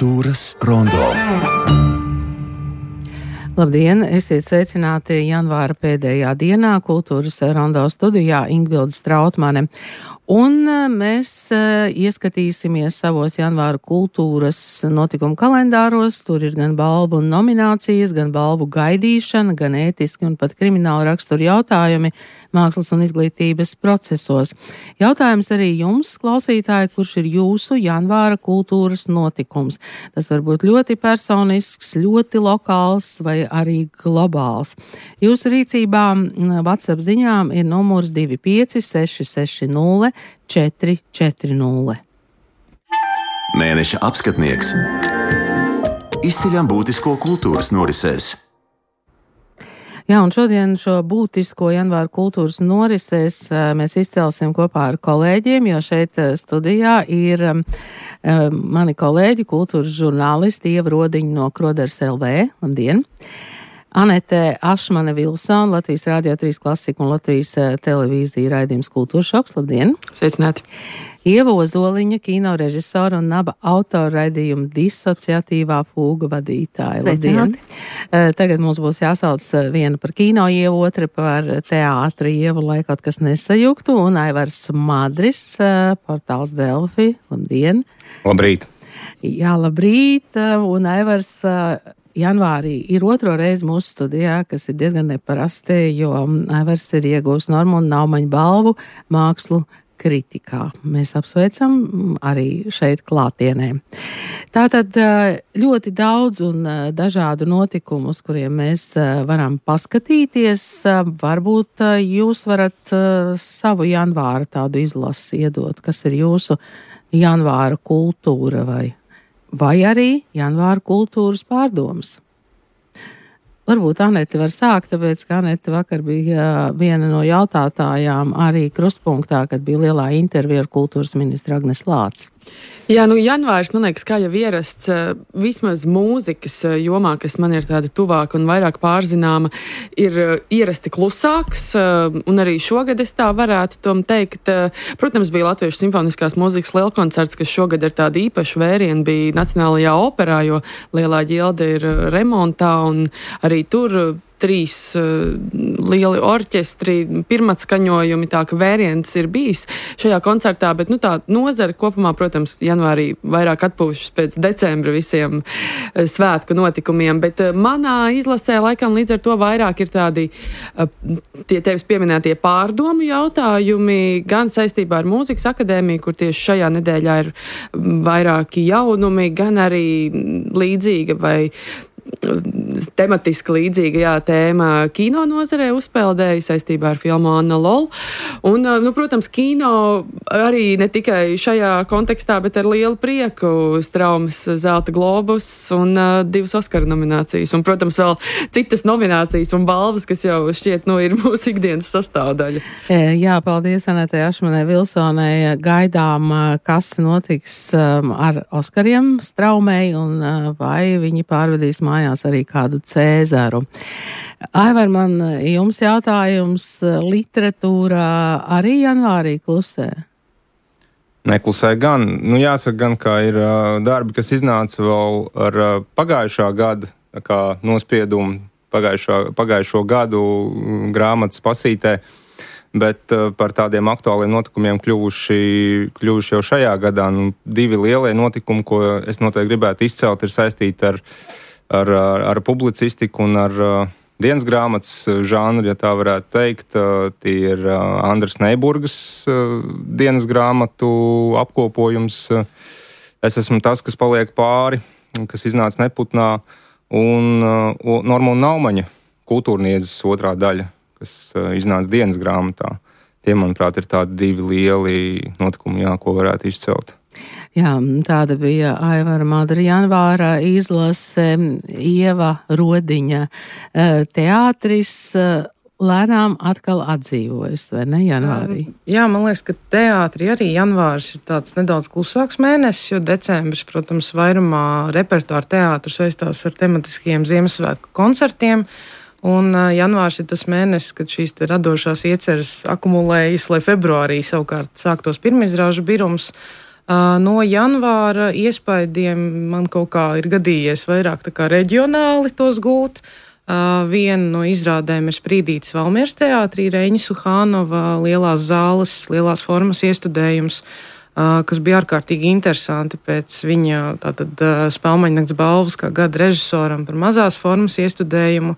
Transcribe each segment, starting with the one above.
Kultūras rondo. Labdien! Esiet sveicināti janvāra pēdējā dienā Kultūras rondo studijā Ingvilde Strautmane. Un mēs ieskatīsimies savos janvāra kultūras notikumu kalendāros. Tur ir gan balvu un nominācijas, gan balvu gaidīšana, gan ētiski un pat krimināla rakstura jautājumi mākslas un izglītības procesos. Jautājums arī jums, klausītāji, kurš ir jūsu janvāra kultūras notikums. Tas var būt ļoti personisks, ļoti lokāls vai arī globāls. Jūsu rīcībā WhatsApp ziņām ir numurs 25 660 440. Mēneša apskatnieks. Izceļam būtisko kultūras norisēs. Jā, un šodien šo būtisko janvāra kultūras norisēs mēs izcelsim kopā ar kolēģiem, jo šeit studijā ir mani kolēģi, kultūras žurnālisti Ieva Rodiņa no Kroders LV. Labdien! Anete Ašmane Vilsona, Latvijas Rādio 3 Klasika un Latvijas televīzija raidījums Kultūras šoks. Labdien! Sveicināti! Ieva Ozoliņa, kino režisora un naba autora raidījuma Disociatīvā fūga vadītāja. Labdien! Tagad mums būs jāsauc viena par kino Ievu, otra par teātri Ievu, lai kaut kas nesajuktu, un Aivars Madris, portāls Delfi. Labdien! Labrīt! Jā, labrīt! Un Aivars janvārī ir otro reizi mūsu studijā, kas ir diezgan neparasti, jo Aivars ir iegūst Norma un Naumaņa balvu mākslu kritikā. Mēs apsveicam arī šeit klātienē. Tātad ļoti daudz un dažādu notikumu, uz kuriem mēs varam paskatīties. Varbūt jūs varat savu janvāra tādu izlasi iedot, kas ir jūsu janvāra kultūra vai arī janvāra kultūras pārdomas. Varbūt Anete var sākt, tāpēc, ka Anete vakar bija viena no jautātājām arī krustpunktā, kad bija lielā intervija ar kultūras ministru Agnes Lāci. Jā, janvārs, man liekas, kā jau ierasts, vismaz mūzikas jomā, kas man ir tāda tuvāka un vairāk pārzināma, ir ierasti klusāks, un arī šogad es tā varētu tom teikt. Protams, bija Latviešu simfoniskās mūzikas lielkoncerts, kas šogad ir tāda īpaša vēriena, bija Nacionālajā operā, jo Lielā ģilde ir remontā, un arī tur 3 lieli orķestri, pirmatskaņojumi, tā ka vēriens ir bijis šajā koncertā, bet tā nozara kopumā, protams, janvārī vairāk atpūšas pēc decembra visiem svētku notikumiem, bet manā izlasē laikam līdz ar to vairāk ir tādi tie tevis pieminētie pārdomu jautājumi, gan saistībā ar Mūzikas akadēmiju, kur tieši šajā nedēļā ir vairāki jaunumi, gan arī līdzīga vai tematiski līdzīga tēma kino nozarē uzpeldēja saistībā ar filmu Anna Lol. Un, protams, kino arī ne tikai šajā kontekstā, bet ar lielu prieku Straumes Zelta globus un 2 Oskara nominācijas. Un, protams, vēl citas nominācijas un balvas, kas jau šķiet, ir mūsu ikdienas sastāvdaļa. Jā, paldies Anetei Ašmanai Vilsonai. Gaidām, kas notiks ar Oskariem Straumei un vai viņi pārvedīs mājās arī kādu Cēzaru. Aivar, man jums jautājums, literatūrā arī janvārī klusē? Neklusē gan. Jāsaka gan, ka ir darbi, kas iznāca vēl ar pagājušā gada kā nospiedumu pagājušo gadu grāmatas pasītē, bet par tādiem aktuāliem notikumiem kļuvuši jau šajā gadā. 2 lielie notikumi, ko es noteikti gribētu izcelt, ir saistīti ar publicistiku un ar dienas grāmatas žanru, ja tā varētu teikt. Tie ir Andras Neiburgas dienas grāmatu apkopojums. Es esmu tas, kas paliek pāri, kas iznāca Neputnā, un Norma un Naumaņa kultūrniedzes otrā daļa, kas iznāca dienas grāmatā. Tie, manuprāt, ir tādi 2 lieli notikumi, ko varētu izcelt. Jā, tāda bija Aivara Madra janvāra izlase, Ieva Rodiņa teātris lēnām atkal atdzīvojas, vai ne, janvārī? Jā, man liekas, ka teātrī arī janvārs ir tāds nedaudz klusāks mēnesis, jo decembris, protams, vairumā repertuāra teātru saistās ar tematiskiem Ziemassvētku koncertiem. Un janvārs ir tas mēnesis, kad šīs radošās ieceres akumulējas, lai februārī savukārt sāktos pirmizrāžu birums. No janvāra iespaidiem man kaut kā ir gadījies vairāk tā kā reģionāli tos gūt. Viena no izrādēm ir Sprīdītes Valmieras teātrī, Reņa Suhānova lielās zāles, lielās formas iestudējums, kas bija ārkārtīgi interesanti pēc viņa tātad Spēlmaņnakts balvas kā gada režisoram par mazās formas iestudējumu,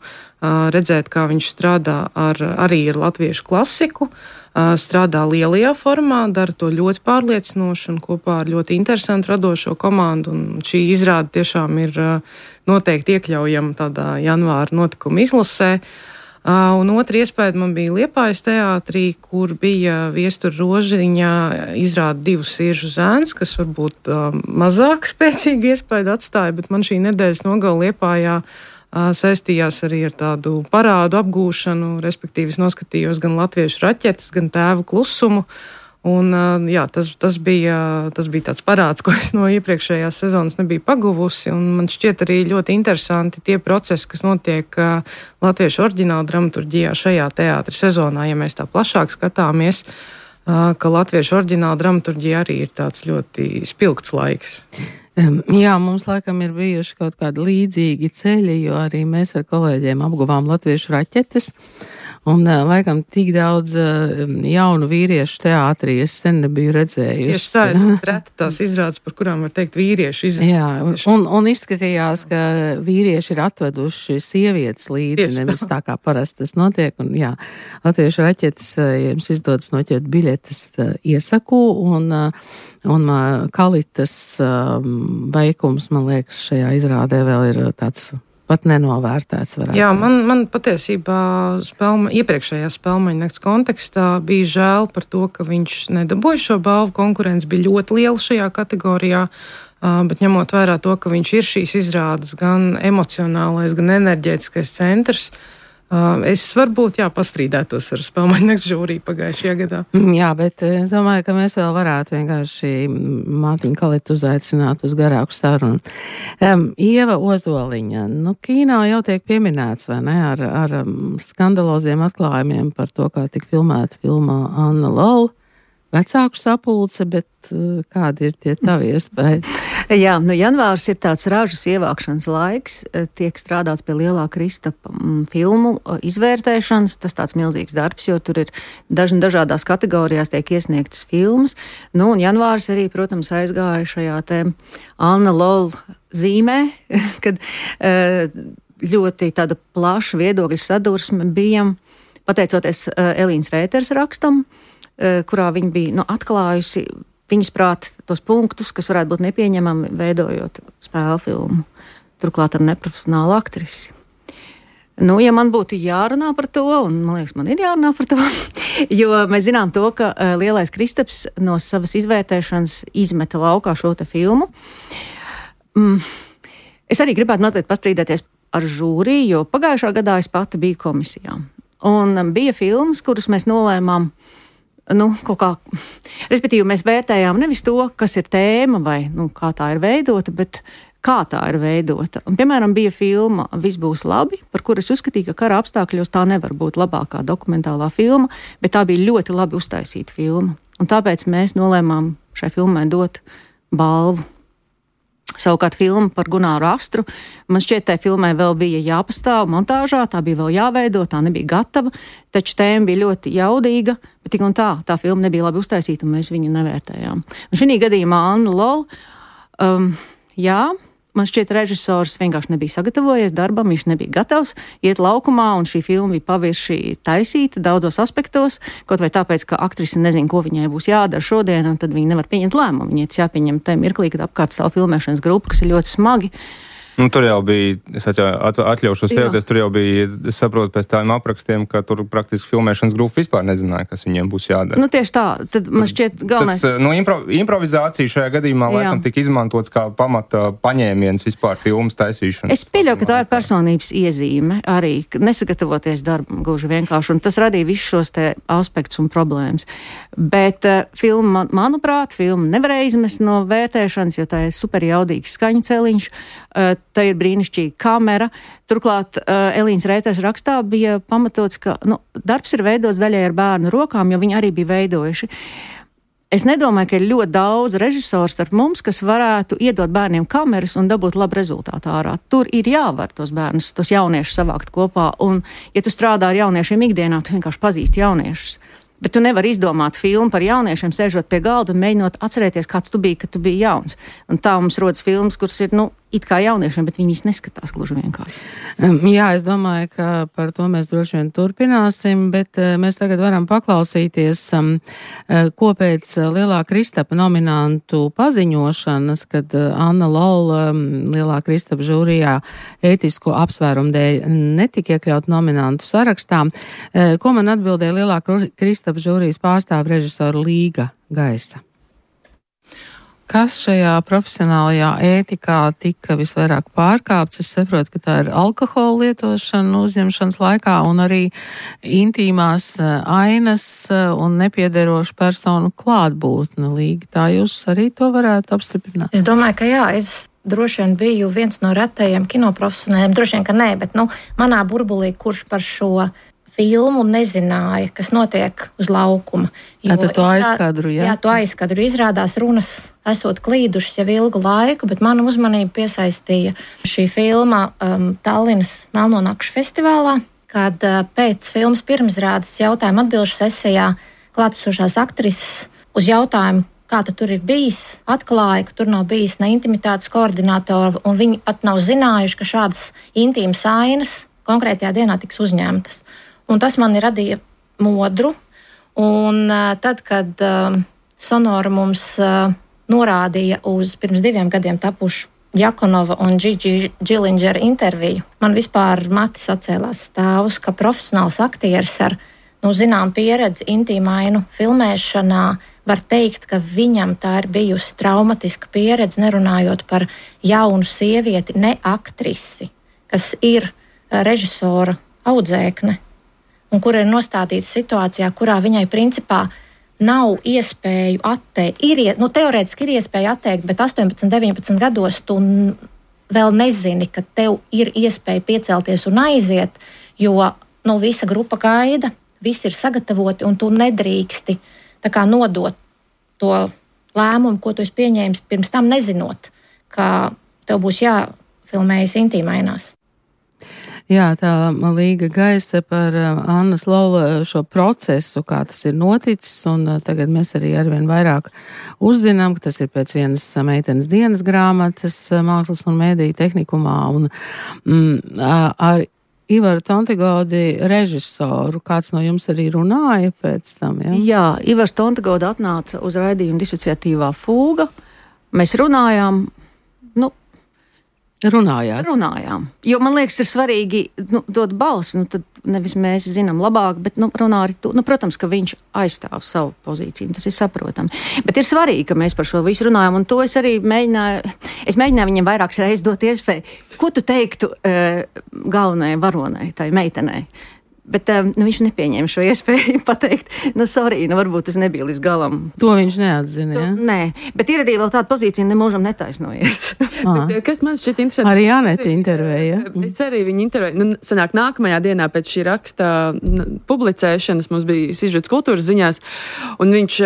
redzēt, kā viņš strādā arī ar latviešu klasiku, strādā lielajā formā, dara to ļoti pārliecinoši un kopā ar ļoti interesantu radošo komandu, un šī izrāde tiešām ir noteikti iekļaujama tādā janvāra notikuma izlasē. Un otra iespēja man bija Liepājas teātrī, kur bija Viestura Rožiņa izrāda Divu siržu zēns, kas varbūt mazāk spēcīgu iespēju atstāja, bet man šī nedēļas nogala Liepājā saistījās arī ar tādu parādu apgūšanu, respektīvi es noskatījos gan latviešu raķetes, gan Tēvu klusumu. Un, jā, tas bija tāds parāds, ko es no iepriekšējās sezonas nebiju paguvusi, un man šķiet arī ļoti interesanti tie procesi, kas notiek latviešu oriģināla dramaturģijā šajā teātra sezonā, ja mēs tā plašāk skatāmies, ka latviešu oriģināla dramaturģija arī ir tāds ļoti spilgts laiks. Jā, mums laikam ir bijuši kaut kādi līdzīgi ceļi, jo arī mēs ar kolēģiem apguvām latviešu raķetes. Un laikam tik daudz jaunu vīriešu teātrī es sen nebiju redzējusi. Tieši tā ir reta tās izrādes, par kurām var teikt vīriešu izrādes. Jā, un izskatījās, ka vīrieši ir atveduši sievietes līdzi, tieši nevis tā kā parasti tas notiek. Un jā, latviešu raķetes, ja jums izdodas noķert biļetes, iesaku, un Kalitas veikums, man liekas, šajā izrādē vēl ir tāds pat nenovērtēts. Jā, man patiesībā iepriekšējā Spēlmaņnakts kontekstā bija žēl par to, ka viņš nedabūja šo balvu. Konkurence bija ļoti liela šajā kategorijā, bet ņemot vērā to, ka viņš ir šīs izrādes gan emocionālais, gan enerģētiskais centrs, es varbūt, pastrīdētos ar Spēlmaņnakts žūriju pagājušajā gadā. Jā, bet es domāju, ka mēs vēl varētu vienkārši Mārtiņu Kalitu uzaicināt uz garāku sarunu. Ieva Ozoliņa, kīnā jau tiek pieminēts, vai ne, ar skandaloziem atklājumiem par to, kā tik filmēta filmā Anna Lol. Vecāku sapulce, bet kādi ir tie tavi iespēja? Jā, janvārs ir tāds ražas ievākšanas laiks, tiek strādāts pie lielā Kristapa filmu izvērtēšanas, tas tāds milzīgs darbs, jo tur ir dažādās kategorijās tiek iesniegtas filmas, un janvārs arī, protams, aizgāja šajā te Anna Lol zīmē, kad ļoti tāda plaša viedokļu sadursme bija, pateicoties Elīnas Rēters rakstam, kurā viņa bija atklājusi viņas prāt tos punktus, kas varētu būt nepieņemami, veidojot spēļu filmu. Turklāt ar neprofesionālu aktrisi. Ja man būtu jārunā par to, un man liekas, man ir jārunā par to, jo mēs zinām to, ka lielais Kristaps no savas izvērtēšanas izmeta laukā šo te filmu. Es arī gribētu mazliet pastrīdēties ar žūriju, jo pagājušā gadā es pati biju komisijā. Un bija filmas, kuras mēs nolēmām kaut kā, respektīvi mēs vērtējām nevis to, kas ir tēma vai kā tā ir veidota, bet kā tā ir veidota. Un, piemēram, bija filma Viss būs labi, par kuru es uzskatīju, ka kara apstākļos tā nevar būt labākā dokumentālā filma, bet tā bija ļoti labi uztaisīta filma. Un tāpēc mēs nolēmām šai filmai dot balvu. Savukārt filma par Gunāru Astru, man šķiet, tai filmai vēl bija jāpastāv montāžā, tā bija vēl jāveido, tā nebija gatava, taču tēma bija ļoti jaudīga, bet tik un tā filma nebija labi uztaisīta un mēs viņu nevērtējām. Un šī gadījumā Anna Lol, man šķiet, režisors vienkārši nebija sagatavojies darbam, viņš nebija gatavs iet laukumā, un šī filma bija pavirši taisīta daudzos aspektos, kaut vai tāpēc, ka aktrise nezina, ko viņai būs jādara šodien, un tad viņa nevar pieņemt lēmumu. Viņai tas jāpieņem tajā mirklī, kad apkārt stāv filmēšanas grupa, kas ir ļoti smagi. Tur jau bija, es atļaušos teikties, tur jau bija, es saprotu pēc tādiem aprakstiem, ka tur praktiski filmēšanas grupa vispār nezināja, kas viņiem būs jādara. Tieši tā, tad man šķiet galvenais. Improvizācija šajā gadījumā laikam tika izmantots kā pamata paņēmiens vispār filmas taisīšanas. Es pieļauju, ka tā ir personības iezīme arī, nesagatavoties darbam gluži vienkārši, un tas radīja visus šos te aspektus un problēmas. Bet filma, manuprāt, filma nevarēja izmest no vērtēšanas, jo tā ir super jaudīgs skaņu celiņš. Tā ir brīnišķīga kamera. Turklāt Elīnas Rēters rakstā bija pamatots, ka darbs ir veidots daļai ar bērnu rokām, jo viņi arī bija veidojuši. Es nedomāju, ka ir ļoti daudz režisoru starp mums, kas varētu iedot bērniem kameras un dabūt labu rezultātu ārā. Tur ir jāvar tos bērnus, tos jauniešus savākt kopā, un ja tu strādā ar jauniešiem ikdienā, tu vienkārši pazīsti jauniešus. Bet tu nevari izdomāt filmu par jauniešiem, sēžot pie galda un mēģinot atcerēties, kāds tu biji, kad tu biji jauns. Un tā mums rodas filmas, kuras ir, it kā jauniešiem, bet viņi neskatās gluži vienkārši. Jā, es domāju, ka par to mēs droši vien turpināsim, bet mēs tagad varam paklausīties, ko pēc Lielā Kristapa nominantu paziņošanas, kad Anna Lola Lielā Kristapa žūrijā ētisko apsvērumu dēļ netika iekļaut nominantu sarakstā. Ko man atbildēja Lielā Kristapa žūrijas pārstāv režisora Līga Gaisa? Kas šajā profesionālajā ētikā tika visvairāk pārkāpts? Es saprotu, ka tā ir alkohola lietošana uzņemšanas laikā un arī intīmās ainas un nepiederošu personu klātbūtne. Līga, tā jūs arī to varētu apstiprināt? Es domāju, ka jā, es droši vien biju viens no retajiem kinoprofesionāļiem, droši vien, ka nē, bet manā burbulī, kurš par šo filmu nezināja, kas notiek uz laukuma. Tātad to aizkadru, jā? Jā, to aizkadru. Izrādās runas esot klīdušas jau ilgu laiku, bet manu uzmanību piesaistīja šī filma Tallinas Melno nakšu festivālā, kad pēc filmas pirmizrādes jautājumu atbilžu sesijā klātesošās aktrises uz jautājumu, kā tur ir bijis, atklāja, ka tur nav bijis ne intimitātes koordinātora, un viņi pat nav zinājuši, ka šādas intīmas ainas konkrētajā dienā tiks uzņemtas. Un tas man radīja modru, un tad, kad Sonora mums norādīja uz pirms 2 gadiem tapušu Jakonova un Gigi Gillingera interviju, man vispār mati sacēlās stāvus, ka profesionāls aktieris ar zinām pieredzi intīmainu filmēšanā var teikt, ka viņam tā ir bijusi traumatiska pieredze, nerunājot par jaunu sievieti, ne aktrisi, kas ir režisora audzēkne, un kur ir nostādīta situācijā, kurā viņai principā nav iespēju atteikt. Teorētiski ir iespēja atteikt, bet 18, 19 gados tu vēl nezini, ka tev ir iespēja piecelties un aiziet, jo visa grupa gaida, visi ir sagatavoti, un tu nedrīksti tā kā nodot to lēmumu, ko tu esi pieņēmis pirms tam nezinot, ka tev būs jāfilmējas intīmainās. Jā, tā Līga Gaisa par Annas Lola šo procesu, kā tas ir noticis, un tagad mēs arī arvien vairāk uzzinām, ka tas ir pēc vienas meitenes dienas grāmatas mākslas un mēdīju tehnikumā, un ar Ivaru Tontigodi režisoru, kāds no jums arī runāja pēc tam, jā? Jā, Ivars Tontigodi atnāca uz raidījumu Disociatīvā fūga, mēs runājām, Runājām. Jo man liekas, ir svarīgi dot balsi, tad nevis mēs zinām labāk, bet runā arī tu. Protams, ka viņš aizstāv savu pozīciju, tas ir saprotami. Bet ir svarīgi, ka mēs par šo visu runājam, un to es arī mēģināju viņam vairākas reizes dot iespēju. Ko tu teiktu galvenajai varonai, tai meitenei? Bet viņš nepieņēma šo iespēju pateikt, varbūt tas nebija līdz galam. To viņš neatzina, ja? Nē, bet ir arī vēl tāda pozīcija, nemūžam netaisnojies. Kas man šķiet interesanti? Arī Janeta intervēja. Es arī viņu intervēju. Sanāk, nākamajā dienā pēc šī raksta publicēšanas mums bija sižets kultūras ziņās, un viņš,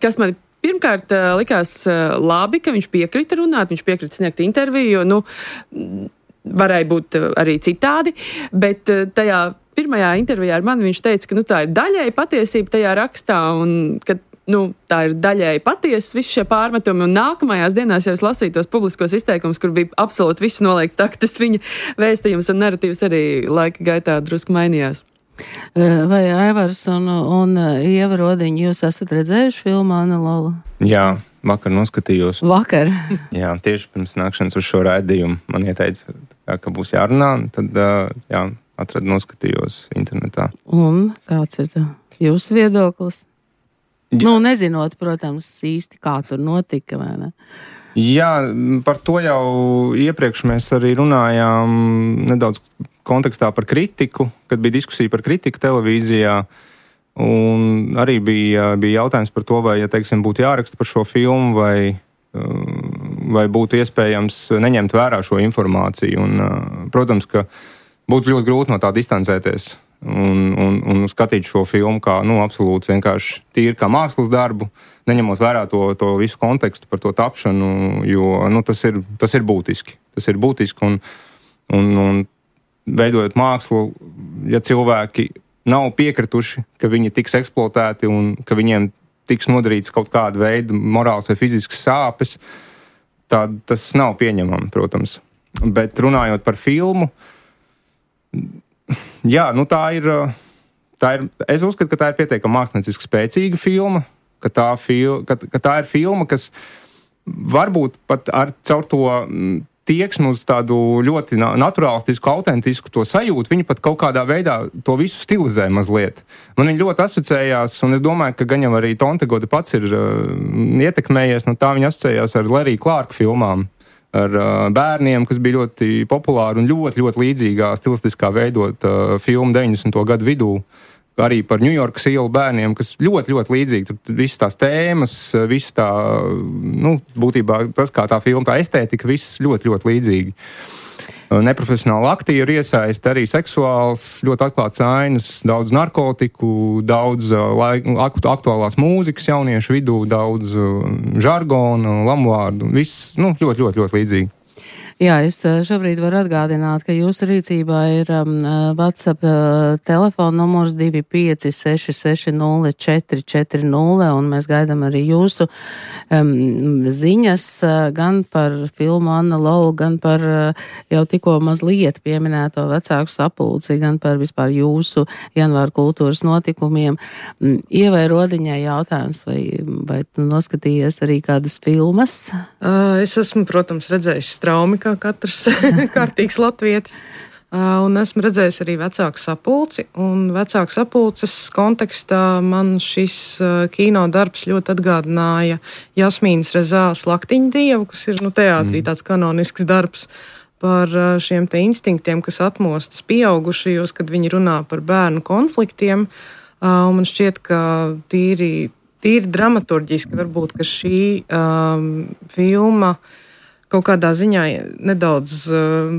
kas man pirmkārt likās labi, ka viņš piekrita runāt, viņš piekrita sniegt interviju, varēja būt arī citādi, bet tajā pirmajā intervijā ar mani viņš teica, ka tā ir daļēji patiesība tajā rakstā un ka tā ir daļēji patiesa visi šie pārmetumi, un nākamajās dienās jau es lasīju tos publiskos izteikumus, kur bija absolūti viss noliekts tā, ka tas viņa vēstījums un narratīvs arī laika gaitā drusku mainījās. Vai Aivars un Ieva Rodiņa, jūs esat redzējuši filmu Anna Lola? Jā, vakar noskatījos. Vakar? Jā, tieši pirms nākšanas uz šo raidījumu man ieteica, ka būs jārunā, tad atradu, noskatījos internetā. Un kāds ir jūsu viedoklis? Nezinot, protams, īsti kā tur notika, vai ne? Jā, par to jau iepriekš mēs arī runājām nedaudz kontekstā par kritiku, kad bija diskusija par kritiku televīzijā, un arī bija jautājums par to, vai, teiksim, būtu jāraksta par šo filmu, vai būtu iespējams neņemt vērā šo informāciju. Un, protams, ka būtu ļoti grūti no tā distancēties, un skatīt šo filmu kā, absolūti vienkārši tīri kā mākslas darbu, neņemot vērā to visu kontekstu par to tapšanu, jo, tas ir būtiski. Tas ir būtiski, un veidojot mākslu, ja cilvēki nav piekrituši, ka viņi tiks eksploatēti un ka viņiem tiks nodarīts kaut kāda veida morāls vai fizisks sāpes, tad tas nav pieņemami, protams. Bet runājot par filmu, jā, tā ir, es uzskatu, ka tā ir pietiekami mākslinieciski spēcīga filma, ka tā ir filma, kas varbūt pat caur to tieksmi uz tādu ļoti naturālistisku, autentisku to sajūtu, viņi pat kaut kādā veidā to visu stilizē mazliet. Man viņi ļoti asociējās, un es domāju, ka gan jau arī Tontegode pats ir ietekmējies, tā viņi asociējās ar Larry Clark filmām, ar bērniem, kas bija ļoti populāri un ļoti, ļoti līdzīgā stilistiskā veidot filmu 90. gadu vidū. Arī par Ņujorkas ielu bērniem, kas ļoti, ļoti līdzīgi. Tur visas tās tēmas, viss tā, būtībā tas, kā tā filma, tā estētika, viss ļoti, ļoti līdzīgi. Neprofesionāli aktieri iesaist, arī seksuāls, ļoti atklāts ainas, daudz narkotiku, daudz aktuālās mūzikas jauniešu vidū, daudz žargonu, lamuvārdu, viss, ļoti, ļoti, ļoti līdzīgi. Jā, es šobrīd varu atgādināt, ka jūsu rīcībā ir WhatsApp telefona numurs 256604440, un mēs gaidām arī jūsu ziņas gan par filmu Anna Lou, gan par jau tikko mazliet pieminēto vecāku sapulci, gan par vispār jūsu janvāra kultūras notikumiem. Ievai Rodiņai jautājums, vai tu noskatījies arī kādas filmas? Es esmu, protams, redzējis Straumi, kā katrs kārtīgs latvietis. Un esmu redzējis arī vecāku sapulci. Un vecāku sapulces kontekstā man šis kino darbs ļoti atgādināja Jasmīnas Rezās Laktiņu dievu, kas ir teātrī tāds kanonisks darbs par šiem te instinktiem, kas atmostas pieaugušajos, kad viņi runā par bērnu konfliktiem. Un man šķiet, ka tīri dramaturģiski varbūt, ka šī filma kaut kādā ziņā nedaudz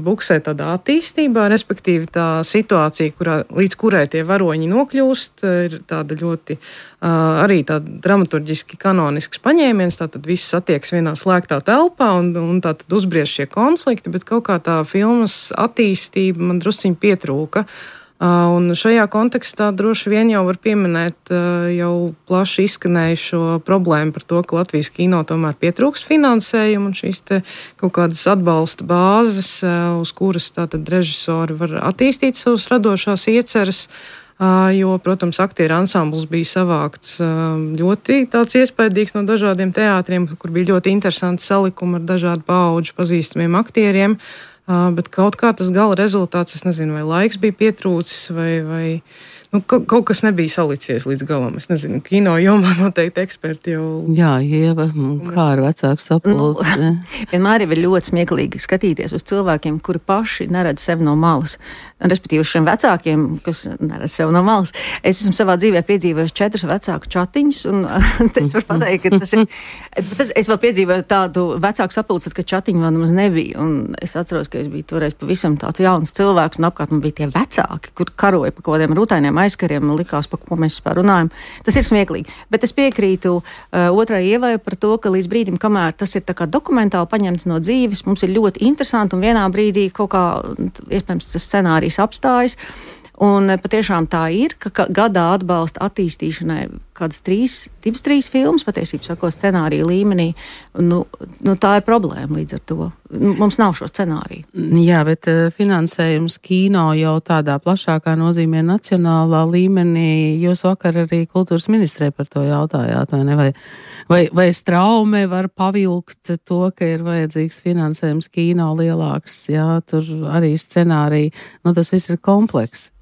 buksē tādā attīstībā, respektīvi tā situācija, līdz kurai tie varoņi nokļūst, ir tāda ļoti arī tāda dramaturģiski kanonisks paņēmiens, tātad viss attieks vienā slēgtā telpā un tātad uzbriež šie konflikti, bet kaut kā tā filmas attīstība man drusciņi pietrūka. Un šajā kontekstā droši vien jau var pieminēt jau plaši izskanējušo problēmu par to, ka Latvijas kino tomēr pietrūkst finansējumu un šīs te kaut kādas atbalsta bāzes, uz kuras tātad režisori var attīstīt savas radošās ieceres, jo, protams, aktieru ansambls bija savākts ļoti tāds iespaidīgs no dažādiem teātriem, kur bija ļoti interesanti salikumi ar dažādu paudžu pazīstamiem aktieriem. Bet kaut kā tas gala rezultāts, es nezinu, vai laiks bija pietrūcis, vai kaut kas nebija salicies līdz galam. Es nezinu, kino jomā noteikti eksperti jau... Jā, Ieva, kā ar vecāku sapulci? Vienmēr ir ļoti smieklīgi skatīties uz cilvēkiem, kuri paši neredz sevi no malas. Respektīvi uz šiem vecākiem, kas neredz sevi no malas. Es esmu savā dzīvē piedzīvojis 4 vecāku čatiņus, un es varu pateikt, ka tas ir... Es vēl piedzīvoju tādu vecāku sapulci, ka čatiņu vēl nemaz nebija, un es atceros, ka es biju toreiz pavisam tāds jauns cilvēks, un apkārt man bija tie vecāki, kur karoja pa kaut kādiem rutainiem aizkariem, likās, par ko mēs vispār runājam. Tas ir smieklīgi. Bet es piekrītu otrai Ievai par to, ka līdz brīdim, kamēr tas ir tā kā dokumentāli paņemts no dzīves, mums ir ļoti interesanti un vienā brīdī kaut kā, iespējams, tas scenārijs apstājas. Un patiešām tā ir, ka gadā atbalsta attīstīšanai kādas 2-3 filmas, patiesībā sakot, scenārija līmenī. Tā ir problēma līdz ar to. Mums nav šo scenāriju. Jā, bet finansējums kino jau tādā plašākā nozīmē nacionālā līmenī. Jūs vakar arī kultūras ministrē par to jautājāt, vai ne? Vai Straume var pavilkt to, ka ir vajadzīgs finansējums kino lielāks? Jā, tur arī scenāriji. Tas viss ir komplekss.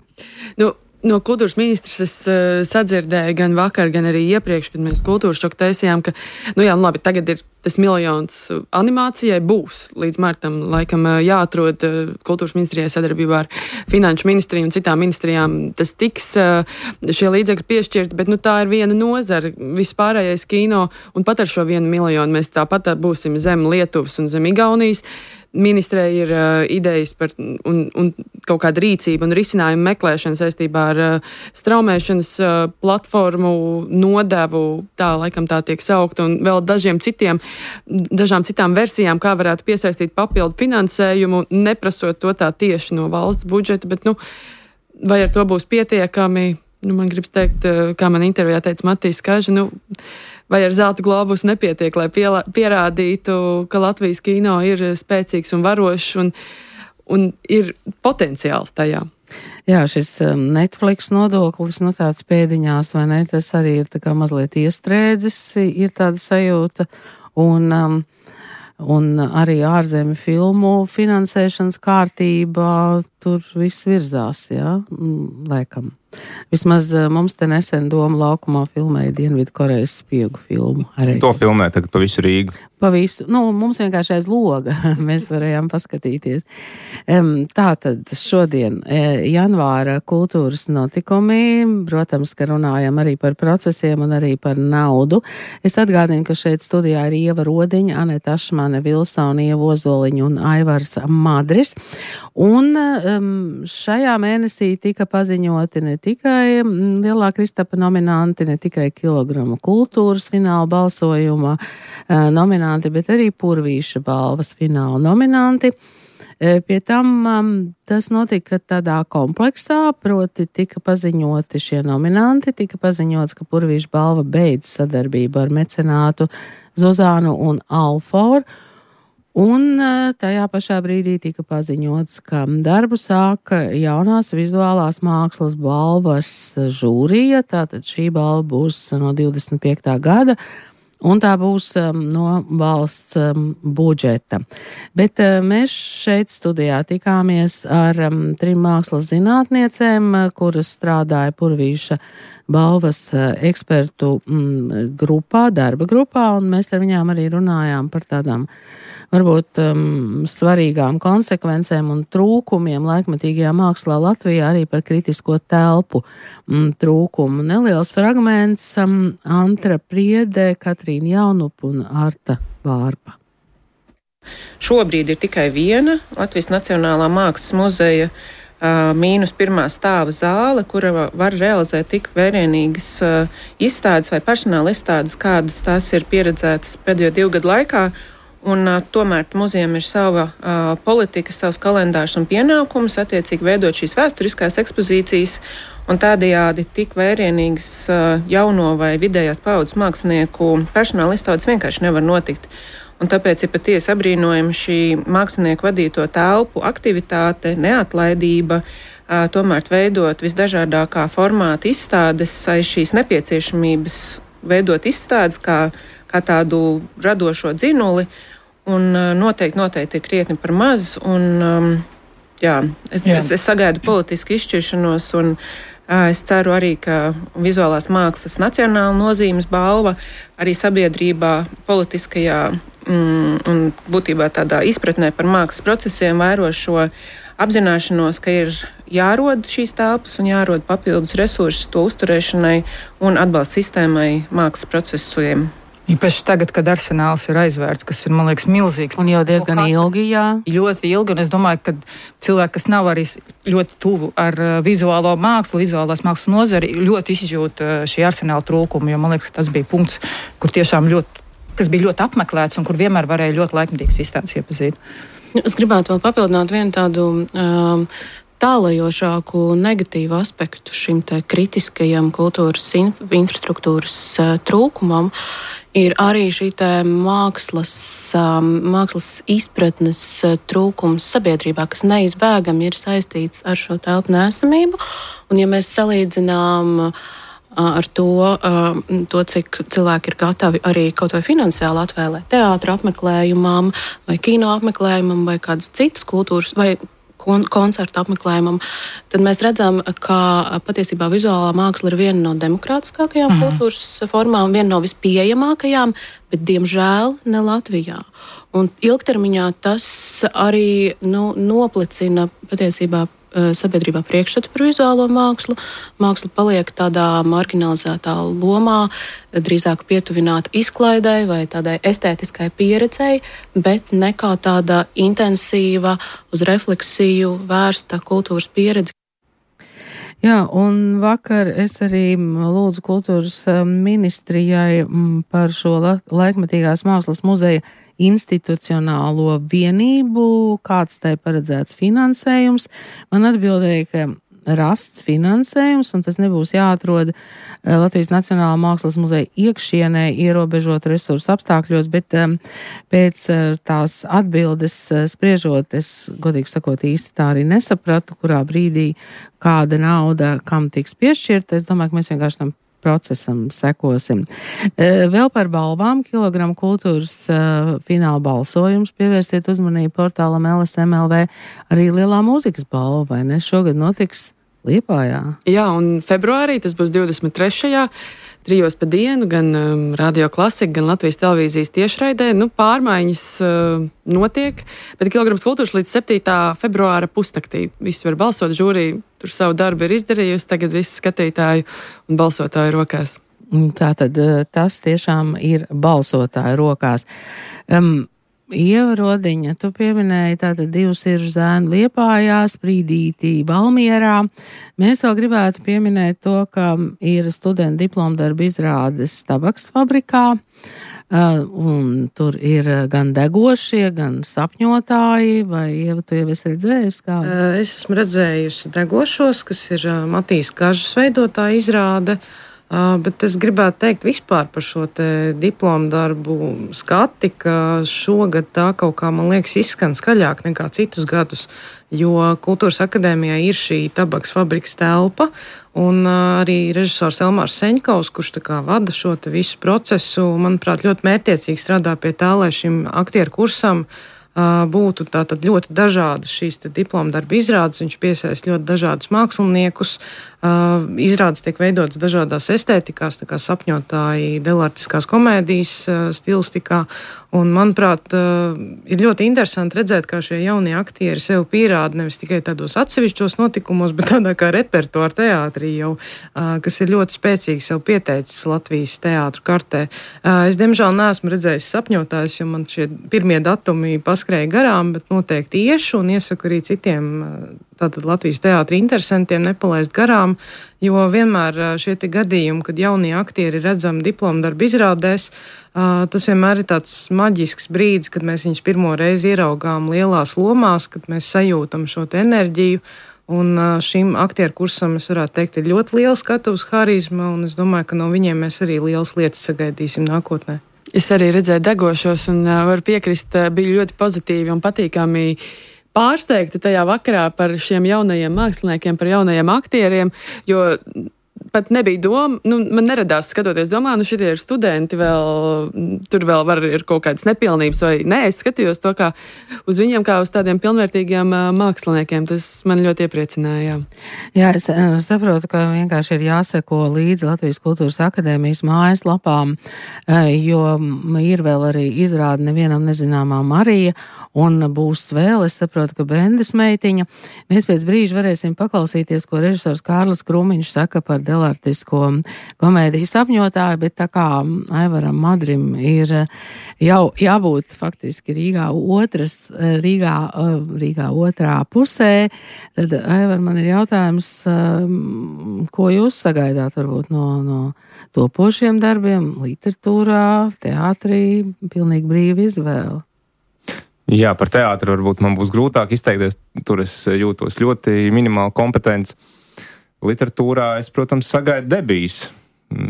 No kultūras ministrs es sadzirdēju gan vakar, gan arī iepriekš, kad mēs kultūras šoku taisījām, ka, labi, tagad ir tas 1 miljons animācijai būs. Līdz martam laikam jāatrod kultūras ministrijai sadarbībā ar finanšu ministriju un citām ministrijām. Tas tiks šie līdzekļi piešķirti, bet tā ir viena nozara, vispārējais kino, un pat ar šo 1 miljonu mēs tāpat būsim zem Lietuvas un zem Igaunijas. ministrē ir idejas par un kaut kāda rīcība un risinājuma meklēšana saistībā ar straumēšanas platformu nodevu, tā laikam tā tiek saukt, un vēl dažām citām versijām, kā varētu piesaistīt papildu finansējumu, neprasot to tā tieši no valsts budžeta, bet, vai ar to būs pietiekami? Man gribas teikt, kā man intervijā teica Matīs Kaža, vai ar zelta globus nepietiek, lai pierādītu, ka Latvijas kino ir spēcīgs un varošs un ir potenciāls tajā. Jā, šis Netflix nodoklis, tāds pēdiņās, vai ne, tas arī ir tā kā mazliet iestrēdzis, ir tāda sajūta, un arī ārzemju filmu finansēšanas kārtībā tur viss virzās, jā, laikam. Vismaz mums te nesen Doma laukumā filmēja Dienvidkorejas spiegu filmu. Arī. To filmē tagad pa visu Rīgu. Pa visu, mums vienkārši aiz loga mēs varējām paskatīties. Tātad šodien janvāra kultūras notikumi, protams, ka runājam arī par procesiem un arī par naudu. Es atgādinu, ka šeit studijā ir Ieva Rodiņa, Aneta Ašmane, Vilsona, Ieva Ozoliņa un Aivars Madris. Un šajā mēnesī tika paziņoti ne tikai Lielā Kristapa nominanti, ne tikai Kilogramu kultūras fināla balsojuma nominanti, bet arī Purvīša balvas fināla nominanti. Pie tam tas notika tādā kompleksā, proti tika paziņoti šie nominanti, tika paziņots, ka Purvīša balva beidz sadarbību ar mecenātu Zuzānu un Alforu. Un tajā pašā brīdī tika paziņots, ka darbu sāka jaunās vizuālās mākslas balvas žūrija, tātad šī balva būs no 25. gada, un tā būs no valsts budžeta. Bet mēs šeit studijā tikāmies ar 3 mākslas zinātniecēm, kuras strādāja Purvīša balvas ekspertu grupā, darba grupā, un mēs ar viņām arī runājām par tādām varbūt svarīgām konsekvencēm un trūkumiem laikmetīgajā mākslā Latvijā, arī par kritisko telpu trūkumu. Neliels fragments Antra Priede, Katrīna Jaunupa un Arta Vārpa. Šobrīd ir tikai viena Latvijas Nacionālā mākslas muzeja -1. stāva zāle, kura var realizēt tik vērienīgas izstādes vai personāla izstādes, kādas tās ir pieredzētas pēdējo 2 gadu laikā. Un tomēr muzejam ir sava politika, savs kalendārs un pienākums attiecīgi veidot šīs vēsturiskās ekspozīcijas, un tādējādi tik vērienīgas jauno vai vidējās paudzes mākslinieku personāla izstādes vienkārši nevar notikt. Un tāpēc ir patiesi apbrīnojama šī mākslinieku vadīto telpu aktivitāte, neatlaidība, tomēr veidot visdažādākā formāta izstādes aiz šīs nepieciešamības veidot izstādes kā tādu radošo dzinuli, un noteikti ir krietni par maz, un es sagaidu politisku izšķiršanos, un es ceru arī, ka vizuālās mākslas nacionāla nozīmes balva arī sabiedrībā politiskajā un būtībā tādā izpratnē par mākslas procesiem vēro šo apzināšanos, ka ir jārod šīs telpas un jārod papildus resursi to uzturēšanai un atbalsta sistēmai mākslas procesiem. Īpaši tagad, kad arsenāls ir aizvērts, kas ir, man liekas, milzīgs. Un jau diezgan ilgi, jā. Ļoti ilgi, un es domāju, ka cilvēki, kas nav arī ļoti tuvu ar vizuālo mākslu, vizuālās mākslas nozari, ļoti izjūt šī arsenāla trūkumu, jo man liekas, ka tas bija punkts, kur tiešām kas bija ļoti apmeklēts un kur vienmēr varēja ļoti laikmetīgas izstādes iepazīt. Es gribētu vēl papildināt vienu tādu tālajošāku negatīvu aspektu šim te kritiskajam kultūras infrastruktūras trūkumam. Ir arī šī mākslas izpratnes trūkums sabiedrībā, kas neizbēgami ir saistīts ar šo telpu neesamību. Un ja mēs salīdzinām ar to, cik cilvēki ir gatavi arī kaut vai finansiāli atvēlēt teātra apmeklējumam, vai kino apmeklējumam, vai kādas citas kultūras, vai koncertu apmeklējumam, tad mēs redzam, ka patiesībā vizuālā māksla ir viena no demokrātiskākajām kultūras formām, viena no vispieejamākajām, bet diemžēl ne Latvijā. Un ilgtermiņā tas arī noplicina patiesībā sabiedrībā priekšstatu par vizuālo mākslu. Māksla paliek tādā marginalizētā lomā, drīzāk pietuvināta izklaidei vai tādai estētiskai pieredzei, bet ne kā tāda intensīva, uz refleksiju vērsta kultūras pieredze. Jā, un vakar es arī lūdzu kultūras ministrijai par šo laikmetīgās mākslas muzeja institucionālo vienību, kāds tai paredzēts finansējums. Man atbildēja, ka rasts finansējums, un tas nebūs jāatrod Latvijas Nacionālā mākslas muzeja iekšienē ierobežot resursu apstākļos, bet pēc tās atbildes spriežot, es godīgi sakot īsti tā arī nesapratu, kurā brīdī kāda nauda kam tiks piešķirta. Es domāju, ka mēs vienkārši tam procesam sekosim. Vēl par balvām. Kilogramu kultūras fināla balsojums. Pievērstiet uzmanību portālam LSMLV. Arī lielā mūzikas balva, vai ne? Šogad notiks Liepājā. Jā, un februārī tas būs 23. 3 pa dienu, gan Radio Klasika, gan Latvijas televīzijas tiešraidē. Pārmaiņas notiek, bet Kilograms kultūras līdz 7. februāra pusnaktī. Visi var balsot, žūrija tur savu darbu ir izdarījusi, tagad visi skatītāju un balsotāju rokās. Tātad tas tiešām ir balsotāju rokās. Ieva Rodiņa, tu pieminēji tātad 2 siržu zēnu Liepājā, Sprīdītī Valmierā. Mēs vēl gribētu pieminēt to, ka ir studentu diplomdarba izrādes Tabaks fabrikā, un tur ir gan degošie, gan sapņotāji, vai Ieva, tu jau esi redzējusi kā? Es esmu redzējusi degošos, kas ir Matīs Kažas veidotā izrāde. Bet es gribētu teikt vispār par šo te diplomu darbu skati, ka šogad tā kaut kā, man liekas, izskan skaļāk nekā citus gadus, jo Kultūras akadēmijā ir šī Tabaks fabrikas telpa, un arī režisors Elmārs Seņkovs, kurš tā kā vada šo te visu procesu, manuprāt, ļoti mērķiecīgi strādā pie tā, lai šim aktieru kursam būtu tātad ļoti dažādas šīs diplomu darba izrādes. Viņš piesaist ļoti dažādus māksliniekus. Izrādes tiek veidotas dažādās estētikās, tā kā sapņotāji, delartiskās komēdijas stilistikā. Un, manuprāt, ir ļoti interesanti redzēt, kā šie jaunie aktieri sev pierāda nevis tikai tādos atsevišķos notikumos, bet tādā kā repertuāra teātrī jau, kas ir ļoti spēcīgi sev pieteicis Latvijas teātru kartē. Es, diemžēl, neesmu redzējis sapņotājus, jo man šie pirmie datumi paskrēja garām, bet noteikti iešu un iesaku arī citiem tātad Latvijas teātra interesantiem nepalaist garām, jo vienmēr šie te gadījumi, kad jaunie aktieri redzami diplomu darbu izrādēs, tas vienmēr ir tāds maģisks brīdis, kad mēs viņus pirmo reizi ieraugām lielās lomās, kad mēs sajūtam šo te enerģiju. Un šim aktieru kursam, es varētu teikt, ir ļoti liela skatuves harizma, un es domāju, ka no viņiem mēs arī lielas lietas sagaidīsim nākotnē. Es arī redzēju degošos un varu piekrist, bija ļoti pozitīvi un patīkami pārsteigta tajā vakarā par šiem jaunajiem māksliniekiem, par jaunajiem aktieriem, jo pat nebija doma, man neradās skatoties, šitie ir studenti, tur vēl var ir kaut kādas nepilnības vai nē, es skatījos to kā uz viņiem kā uz tādiem pilnvērtīgiem māksliniekiem, tas man ļoti iepriecināja. Jā, es saprotu, ka vienkārši ir jāseko līdzi Latvijas Kultūras akadēmijas mājaslapām, jo ir vēl arī izrāde Nevienam nezināmā Marija, un būs vēl, es saprotu, ka Bendes meitiņa. Mēs pēc brīža varēsim paklausīties, ko režisors Kārlis Krūmiņš saka par delartisko komēdiju sapņotāju, bet tā kā Aivaram Madrim ir jau jābūt faktiski Rīgā otrā pusē, tad Aivar, man ir jautājums, ko jūs sagaidāt varbūt no topošiem darbiem, literatūrā, teātrī, pilnīgi brīva izvēle? Jā, par teātru varbūt man būs grūtāk izteikties, tur es jūtos ļoti minimāli kompetents. Literatūrā es, protams, sagaidu debijas.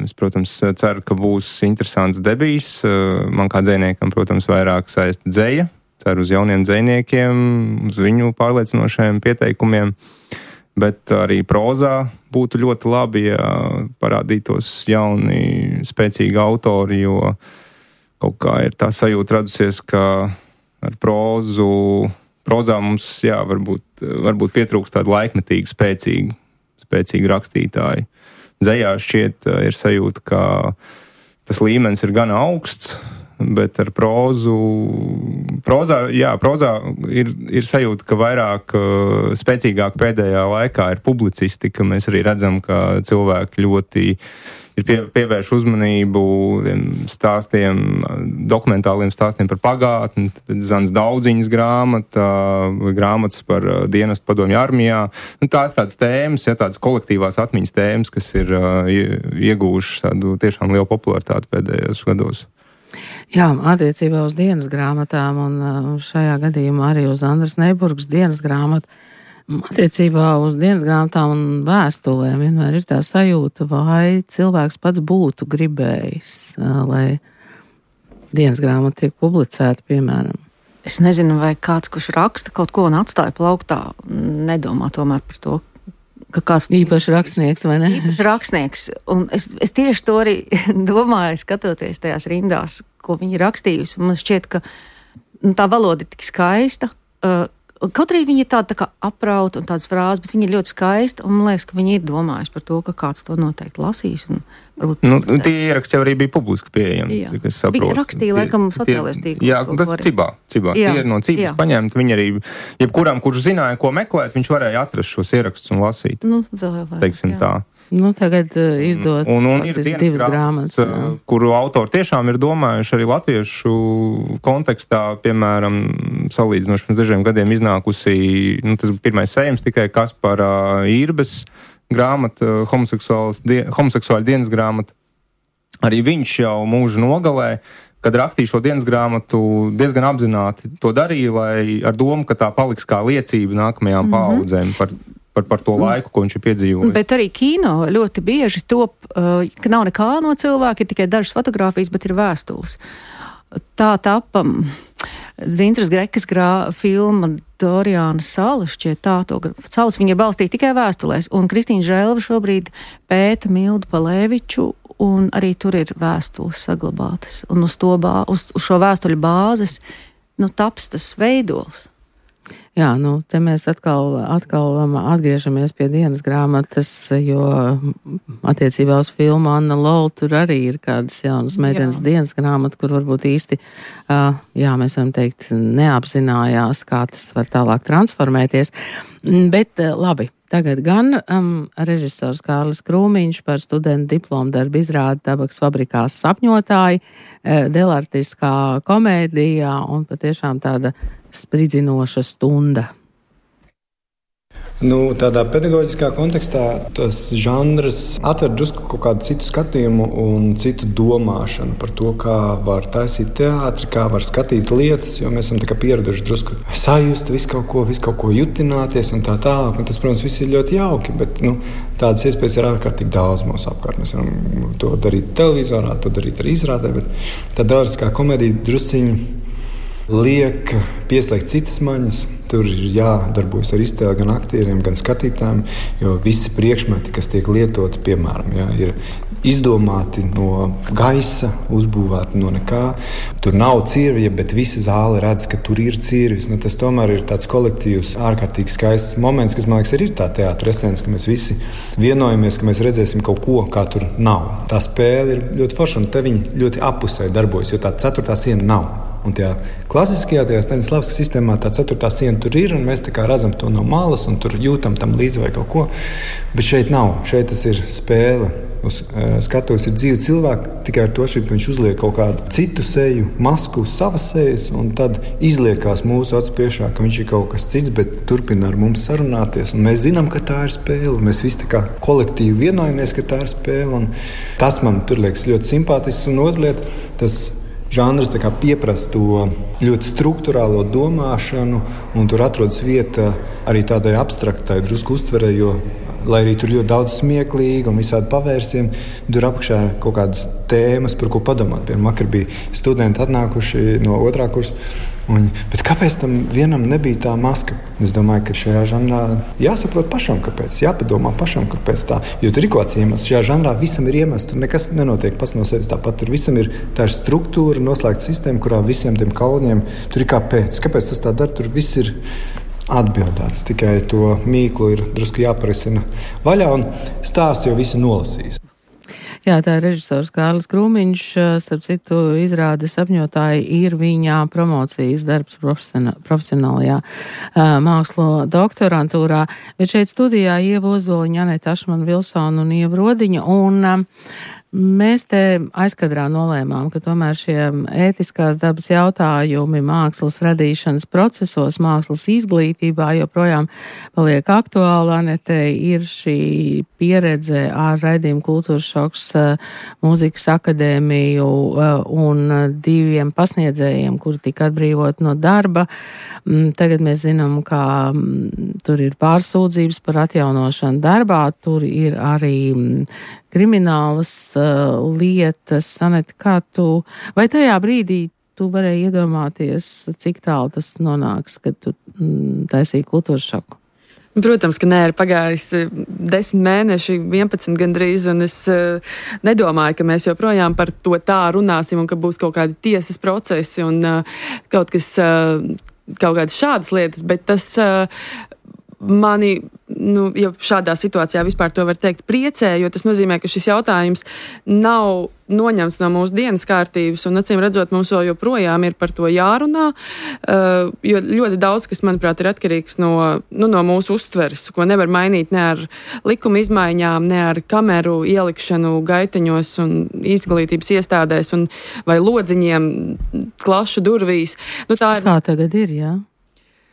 Es, protams, ceru, ka būs interesants debijas. Man kā dzejniekam, protams, vairāk saista dzeja. Ceru uz jauniem dzejniekiem, uz viņu pārliecinošajiem pieteikumiem. Bet arī prozā būtu ļoti labi, ja parādītos jauni, spēcīgi autori, jo kaut kā ir tā sajūta radusies, ka ar prozā mums, jā, varbūt pietrūkst tādu laikmetīgu, spēcīgu rakstītāju. Dzejā šķiet ir sajūta, ka tas līmenis ir gan augsts, bet ar prózu. Prozā ir sajūta, ka vairāk spēcīgāk pēdējā laikā ir publicistika. Mēs arī redzam, ka cilvēki ļoti ir pievērš uzmanību stāstiem, dokumentāliem stāstiem par pagātni, Zans Daudziņas grāmatas par dienestu padomju armijā. Tās tādas tēmas, tādas kolektīvās atmiņas tēmas, kas ir iegūšas tādu tiešām lielu popularitāti pēdējos gados. Jā, attiecībā uz dienas grāmatām un šajā gadījumā arī uz Andras Neiburgas dienas grāmatu. Attiecībā uz dienas grāmatām un vēstulēm vienmēr ir tā sajūta, vai cilvēks pats būtu gribējis, lai dienas grāmata tiek publicēta, piemēram. Es nezinu, vai kāds, kurš raksta kaut ko un atstāja plauktā, nedomā tomēr par to, ka kāds īpaši rakstnieks, vai ne? Īpaši rakstnieks. Un es tieši to arī domāju, skatoties tajās rindās, ko viņi rakstījusi. Man šķiet, ka tā valoda ir tik skaista, kaut arī viņi ir tāda tā kā aprauta un tādas frāzes, bet viņi ir ļoti skaisti, un man liekas, ka viņi ir domājuši par to, ka kāds to noteikti lasīs. Tie ieraksti jau arī bija publiski pieejami, cik es saprotu. Viņi rakstīja, laikam, sociālajos tīklos. Jā, tas Cibā. Tie ir no Cibas paņemti. Viņi arī, jebkuram, kurš zināja, ko meklēt, viņš varēja atrast šos ierakstus un lasīt. Teiksim tā. Tagad izdot divas grāmatas. Kuru autori tiešām ir domājuši arī latviešu kontekstā, piemēram, salīdzinoši pirms dažiem gadiem iznākusi, tas bija pirmais sējums tikai Kaspara Īrbes grāmata, homoseksuāļu dienas grāmata. Arī viņš jau mūža nogalē, kad rakstīja šo dienas grāmatu, diezgan apzināti to darīja, lai ar domu, ka tā paliks kā liecība nākamajām paaudzēm par to laiku, ko viņš ir piedzīvojis. Bet arī kino ļoti bieži top, ka nav nekā no cilvēka, ir tikai dažas fotogrāfijas, bet ir vēstules. Tā tapa Dzintras Grekas filma Doriāna sala, šķiet tā to sauc, viņa ir balstīta tikai vēstulēs, un Kristīna Žēlva šobrīd pēta Mildu Palēviču, un arī tur ir vēstules saglabātas, un uz šo vēstuļu bāzes, taps tas veidols. Jā, te mēs atkal atgriežamies pie dienas grāmatas, jo attiecībā uz filmu Anna Lola tur arī ir kādas jaunas meitenes dienas grāmata, kur varbūt īsti, mēs varam teikt, neapzinājās, kā tas var tālāk transformēties. Bet labi, tagad gan režisors Kārlis Krūmiņš par studentu diplomu darbu izrādi Tabaks fabrikās sapņotāji, delartiskā komēdijā un patiešām tāda spridzinoša stunda. Tādā pedagoģiskā kontekstā tas žanrs atver drusku kaut kādu citu skatījumu un citu domāšanu par to, kā var taisīt teātri, kā var skatīt lietas, jo mēs esam tā kā pieraduši drusku sajust visu kaut ko jutināties un tā tālāk. Un tas, protams, viss ir ļoti jauki, bet tādas iespējas ir ārkārtīgi daudz mūsu apkārt. Mēs varam to darīt televizorā, to darīt arī izrādē, bet tā delariskā komēdija drusciņi liek pieslēgt citas maņas. Tur ir jādarbojas ar iztēli gan aktieriem, gan skatītājiem, jo visi priekšmeti, kas tiek lietoti, piemēram, ir izdomāti no gaisa, uzbūvēti no nekā. Tur nav cirvja, bet visa zāle redz, ka tur ir cirvis. Tas tomēr ir tāds kolektīvs, ārkārtīgi skaists moments, kas, man liekas, ir tā teātra esence, ka mēs visi vienojamies, ka mēs redzēsim kaut ko, kā tur nav. Tā spēle ir ļoti forša, un te viņi ļoti apusēji darbojas, jo tā ceturtā siena nav. Un tajā klasiskajā, tajā Staņislavska sistēmā tā ceturtā siena tur ir, un mēs tā kā redzam to no malas, un tur jūtam tam līdzi vai kaut ko. Bet šeit nav. Šeit tas ir spēle. Uz skatuves ir dzīvi cilvēki, tikai ar to šeit viņš uzliek kaut kādu citu seju, masku uz savas sejas, un tad izliekās mūsu acu priekšā, ka viņš ir kaut kas cits, bet turpina ar mums sarunāties. Un mēs zinām, ka tā ir spēle. Mēs visi tā kā kolektīvi vienojamies, ka tā ir spēle. Un tas man tur liekas ļoti simpātisks. Un otra lieta, tas žanrs pieprasa to ļoti struktūrālo domāšanu, un tur atrodas vieta arī tādai abstraktai drusku uztverē, jo, lai arī tur ļoti daudz smieklīgi un visādi pavērsieni, tur apakšā ir kaut kādas tēmas, par ko padomāt. Piemēram, vakar bija studenti atnākuši no 2. kursa, bet kāpēc tam vienam nebija tā maska? Es domāju, ka šajā žanrā jāsaprot pašam, kāpēc, jāpadomā pašam, kāpēc tā. Jo tur ir kaut kāds iemesls. Šajā žanrā visam ir iemesls, tur nekas nenotiek pats no sevis. Tāpat tur visam ir tā struktūra, noslēgta sistēma, kurā visiem tiem kauniem tur ir kāpēc. Kāpēc tas tā dara? Tur viss ir atbildēts. Tikai to mīklu ir drusku jāparisina vaļā, un stāstu jau visi nolasīs. Jā, tā ir režisors Kārlis Krūmiņš, starp citu izrādes sapņotāji ir viņa promocijas darbs profesionālajā mākslu doktorantūrā, bet šeit studijā Ieva Ozoliņa, Aneta Ašmana Vilsona un Ieva Rodiņa, un mēs te aizkadrā nolēmām, ka tomēr šie ētiskās dabas jautājumi mākslas radīšanas procesos, mākslas izglītībā joprojām paliek aktuāli. Anete ir šī pieredze ar raidījumu Kultūras šoks mūzikas akadēmiju un 2 pasniedzējiem, kuri tika atbrīvot no darba. Tagad mēs zinām, ka tur ir pārsūdzības par atjaunošanu darbā, tur ir arī kriminālas lietas. Anete, kā tu, vai tajā brīdī tu varēji iedomāties, cik tālu tas nonāks, kad tu taisīji Kultūras šoku? Protams, ka nē, ir pagājis 10 mēneši, 11 gandrīz, un es nedomāju, ka mēs joprojām par to tā runāsim un ka būs kaut kādi tiesas procesi un kaut kādas šādas lietas, bet tas mani, ja šādā situācijā vispār to var teikt, priecē, jo tas nozīmē, ka šis jautājums nav noņemts no mūsu dienas kārtības, un acīm redzot, mums vēl joprojām ir par to jārunā, jo ļoti daudz, kas, manuprāt, ir atkarīgs no mūsu uztveres, ko nevar mainīt ne ar likuma izmaiņām, ne ar kameru ielikšanu gaiteņos un izglītības iestādēs vai lodziņiem klašu durvīs. Tā ir... Kā tagad ir, jā?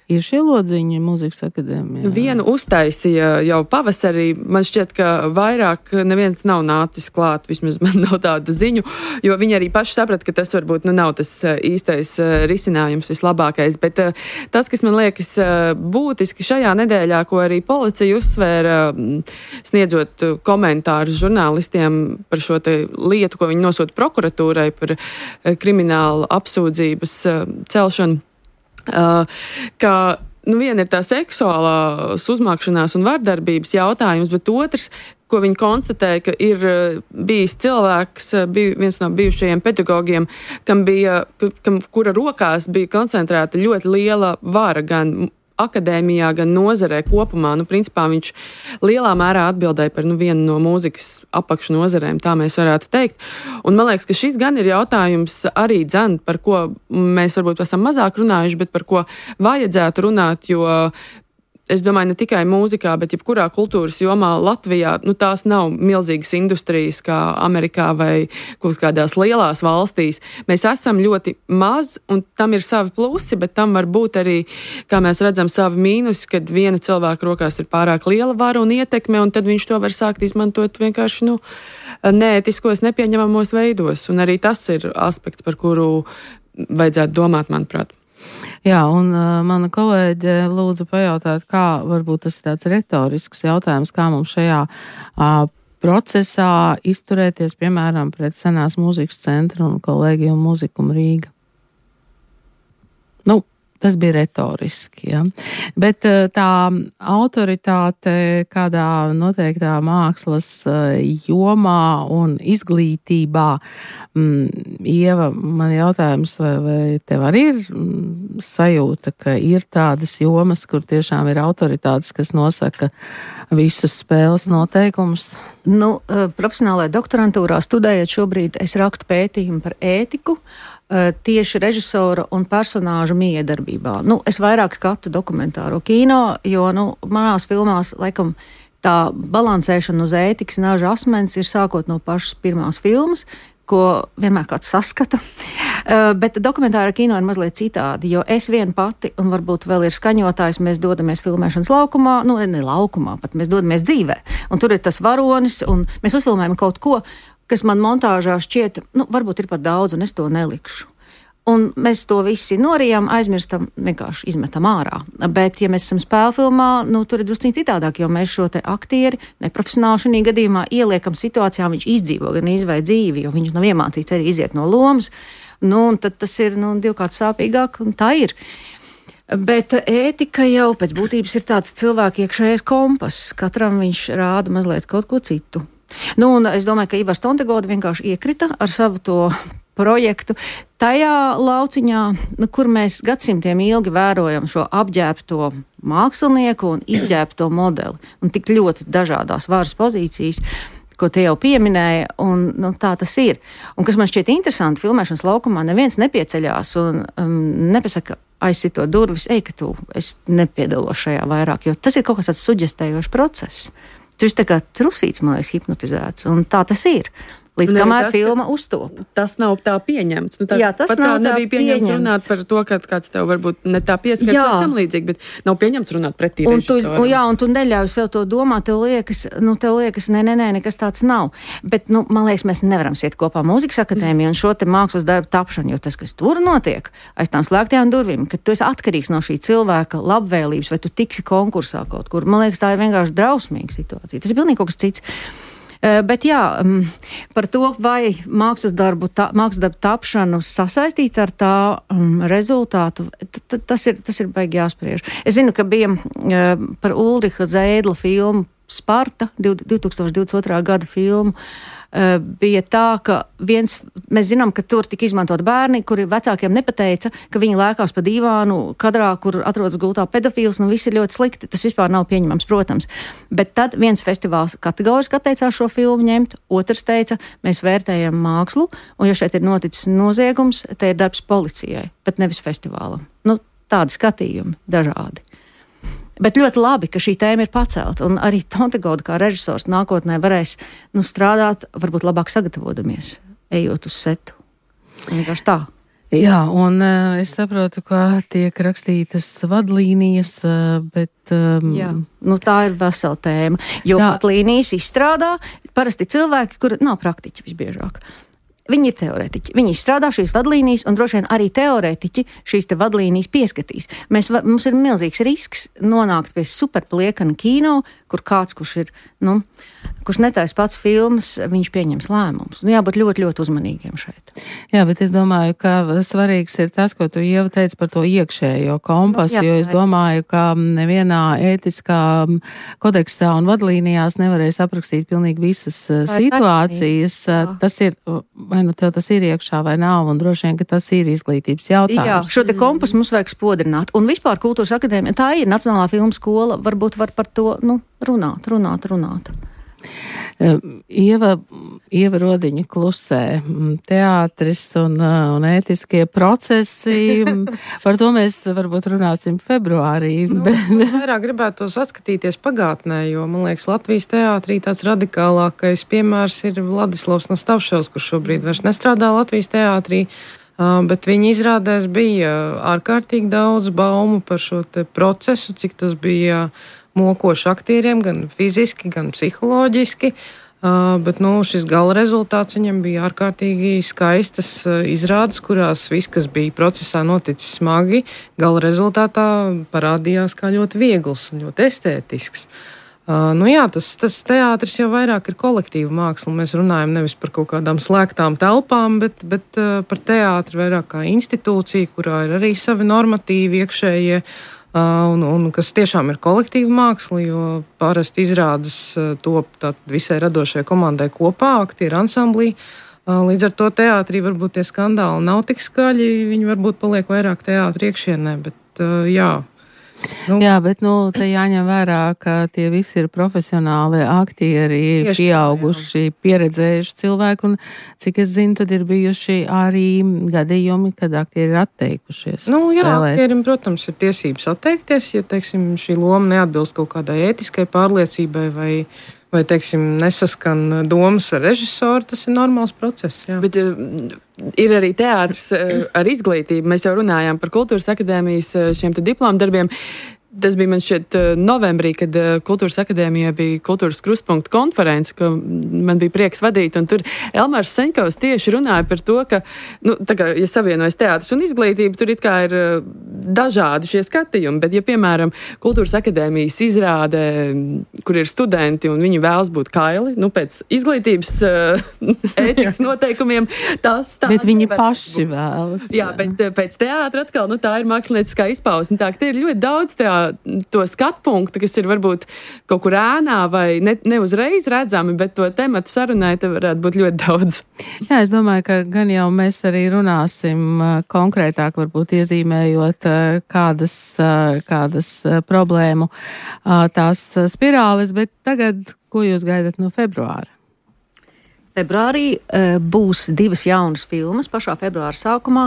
Ir šie lodziņi mūzikas akadēmijā? Vienu uztaisīja jau pavasarī. Man šķiet, ka vairāk neviens nav nācis klāt, vismaz man nav tāda ziņu, jo viņi arī paši saprata, ka tas varbūt nav tas īstais risinājums vislabākais. Bet tas, kas man liekas būtiski šajā nedēļā, ko arī policija uzsvēra, sniedzot komentārus žurnālistiem par šo te lietu, ko viņi nosūta prokuratūrai par kriminālu apsūdzības celšanu, ka viena ir tā seksuālās uzmākšanās un vardarbības jautājums, bet otrs, ko viņi konstatēja, ka ir bijis cilvēks, viens no bijušajiem pedagogiem, kura rokās bija koncentrēta ļoti liela vara gan akadēmijā, gan nozarē kopumā. Principā viņš lielā mērā atbildēja par vienu no mūzikas apakšnozarēm, tā mēs varētu teikt. Un man liekas, ka šis gan ir jautājums arī par ko mēs varbūt esam mazāk runājuši, bet par ko vajadzētu runāt, jo es domāju, ne tikai mūzikā, bet jebkurā kultūras jomā Latvijā, tās nav milzīgas industrijas kā Amerikā vai kaut kādās lielās valstīs. Mēs esam ļoti maz, un tam ir savi plusi, bet tam var būt arī, kā mēs redzam, savi mīnusi, kad viena cilvēka rokās ir pārāk liela vara un ietekme, un tad viņš to var sākt izmantot vienkārši, neētiskos, nepieņemamos veidos. Un arī tas ir aspekts, par kuru vajadzētu domāt, manuprāt. Jā, un mana kolēģe lūdza pajautāt, kā varbūt tas ir tāds retorisks jautājums, kā mums šajā procesā izturēties, piemēram, pret Senās mūzikas centru un Kolēģiju mūzikumu Rīga. Tas bija retoriski, ja. Bet tā autoritāte kādā noteiktā mākslas jomā un izglītībā, Ieva, man jautājums, vai tev arī ir sajūta, ka ir tādas jomas, kur tiešām ir autoritātes, kas nosaka visus spēles noteikumus? Profesionālajā doktorantūrā studējot šobrīd, es rakstu pētījumu par ētiku, tieši režisora un personāža miedarbībā. Es vairāk skatu dokumentāro kino, jo, manās filmās, laikam, tā balansēšana uz ētikas naža asmens ir sākot no pašas pirmās filmas, ko vienmēr kāds saskata. Bet dokumentāra kino ir mazliet citādi, jo es viena pati, un varbūt vēl ir skaņotājs, mēs dodamies filmēšanas laukumā, ne laukumā, pat mēs dodamies dzīvē. Un tur ir tas varonis, un mēs uzfilmējam kaut ko, kas man montāžā šķiet, varbūt ir par daudz, un es to nelikšu. Un mēs to visi norijam, aizmirstam, vienkārši izmetam ārā. Bet, ja mēs esam spēlfilmā, tur ir drusciņi citādāk, jo mēs šo te aktieri, neprofesionāli šī gadījumā, ieliekam situācijā, viņš izdzīvo gan izvai dzīvi, jo viņš nav iemācīts arī iziet no lomas. Un tad tas ir, divkārt sāpīgāk, un tā ir. Bet ētika jau pēc būtības ir tāds cilvēku iekšējais kompass. Katram viņš rāda mazliet kaut ko citu. Un es domāju, ka Ivars Tontegoda vienkārši iekrita ar savu to projektu tajā lauciņā, kur mēs gadsimtiem ilgi vērojam šo apģērbto mākslinieku un izģērbto modeli un tik ļoti dažādās varas pozīcijas, ko te jau pieminēji, un tā tas ir. Un kas man šķiet interesanti, filmēšanas laukumā neviens nepieceļās un nepasaka, aizsito durvis, es nepiedalos šajā vairāk, jo tas ir kaut kas tāds suģestējošs process. Tu esi tā kā trusīts, man liekas, hipnotizēts, un tā tas ir. Līdz kamēr filma uztop. Tas nav tā pieņemts. Jā, tas nav tā nebija pieņemts runāt par to, ka kāds tev varbūt ne tā pieskars vai tam līdzīgi, bet nav pieņemts runāt pretī režisoram. Un tu neļauj sev to domāt, tev liekas, nē, nekas tāds nav. Bet, man liekas, mēs nevaram siet kopā mūzikas akadēmiju un šo te mākslas darbu tapšanu, jo tas, kas tur notiek, aiz tām slēgtajām durvīm, kad tu esi atkarīgs no šī cilvēka labvēlības, vai tu tiksi konkursā kaut kur, man liekas, tā ir vienkārši drausmīga situācija. Tas ir pilnīgi kaut kas cits. Bet jā, par to, vai mākslas darbu tapšanu sasaistīt ar tā rezultātu, tas ir baigi jāspriež. Es zinu, ka bija par Ulriha Zēdla filmu Sparta, 2022. gada filmu, bija tā, ka mēs zinām, ka tur tika izmantot bērni, kuri vecākiem nepateica, ka viņi lēkās pa dīvānu kadrā, kur atrodas gultā pedofils, viss ir ļoti slikti, tas vispār nav pieņemams, protams. Bet tad viens festivāls kategoriski atteicās šo filmu ņemt, otrs teica, mēs vērtējam mākslu, un ja šeit ir noticis noziegums, te ir darbs policijai, bet nevis festivālam. Tādi skatījumi, dažādi. Bet ļoti labi, ka šī tēma ir pacelta, un arī Tontegauda kā režisors nākotnē varēs strādāt, varbūt labāk sagatavodamies, ejot uz setu. Vienkārši tā. Jā, un es saprotu, ka tiek rakstītas vadlīnijas, bet... Jā, tā ir vesela tēma, jo vadlīnijas izstrādā parasti cilvēki, kuri nav praktiķi visbiežāk. Viņi ir teorētiķi. Viņi izstrādā šīs vadlīnijas, un droši vien arī teorētiķi šīs te vadlīnijas pieskatīs. Mums ir milzīgs risks nonākt pie superpliekana kino, kur kāds, kurš netaisa pats filmas, viņš pieņems lēmumus. Jābūt ļoti, ļoti uzmanīgiem šeit. Jā, bet es domāju, ka svarīgs ir tas, ko tu Ieva teici par to iekšējo kompasu, jo es domāju, ka nevienā ētiskā kodeksā un vadlīnijās nevarēs aprakstīt pilnīgi visas situācijas. Tas ir, vai tev tas ir iekšā vai nav, un droši vien, ka tas ir izglītības jautājums. Jā, šo te kompasu mums vajag spodrināt. Un vispār Kultūras akadēmija, tā ir Nacionālā filmu skola, varbūt var par to, runāt. Ieva Rodiņa klusē, teātris un ētiskie procesi, par to mēs varbūt runāsim februārī. Vairāk gribētos atskatīties pagātnē, jo, man liekas, Latvijas teātrī tāds radikālākais piemērs ir Vladislavs Nastavševs, kurš šobrīd vairs nestrādā Latvijas teātrī, bet viņa izrādēs bija ārkārtīgi daudz baumu par šo te procesu, cik tas bija mokoši aktieriem, gan fiziski, gan psiholoģiski, bet šis gala rezultāts viņam bija ārkārtīgi skaistas izrādes, kurās viss, kas bija procesā noticis smagi, gala rezultātā parādījās kā ļoti viegls un ļoti estētisks. Tas teātris jau vairāk ir kolektīva māksla. Mēs runājam nevis par kaut kādām slēgtām telpām, bet par teātri vairāk kā institūciju, kurā ir arī savi normatīvi iekšējie, un kas tiešām ir kolektīva māksla, jo parasti izrādes top visai radošajai komandai kopā, aktieru ansamblī. Līdz ar to teātrī varbūt tie skandāli nav tik skaļi, viņi varbūt paliek vairāk teātri iekšienē, bet jā. Jā, bet te jāņem vērā, ka tie visi ir profesionāli aktieri, pieauguši, pieredzējuši cilvēki, un cik es zinu, tad ir bijuši arī gadījumi, kad aktieri ir atteikušies spēlēt. Aktierim, protams, ir tiesības atteikties, ja, teiksim, šī loma neatbilst kaut kādai ētiskai pārliecībai vai teiksim, nesaskan domas ar režisoru, tas ir normāls process. Jā. Bet ir arī teātris ar izglītību. Mēs jau runājām par Kultūras akadēmijas šiem te diplomu darbiem. Tas bija man šķiet novembrī, kad Kultūras akadēmijā bija Kultūras krustpunkta konference, ko man bija prieks vadīt, un tur Elmārs Seņkovs tieši runāja par to, ka, tā kā, ja savienojas teātris un izglītība, tur it kā ir dažādi šie skatījumi, bet ja, piemēram, Kultūras akadēmijas izrāde, kur ir studenti un viņi vēlas būt kaili, pēc izglītības ētikas noteikumiem, tas bet viņi paši vēlas. Jā, bet pēc teātra atkal, tā ir mākslinieckā izpausme, tā, ka te ir ļoti daudz to skatpunktu, kas ir varbūt kaut kur ēnā vai ne uzreiz redzami, bet to tematu sarunai te varētu būt ļoti daudz. Jā, es domāju, ka gan jau mēs arī runāsim konkrētāk, varbūt iezīmējot kādas problēmu tās spirāles, bet tagad, ko jūs gaidat no februāra? Februārī būs 2 jaunas filmas pašā februāra sākumā,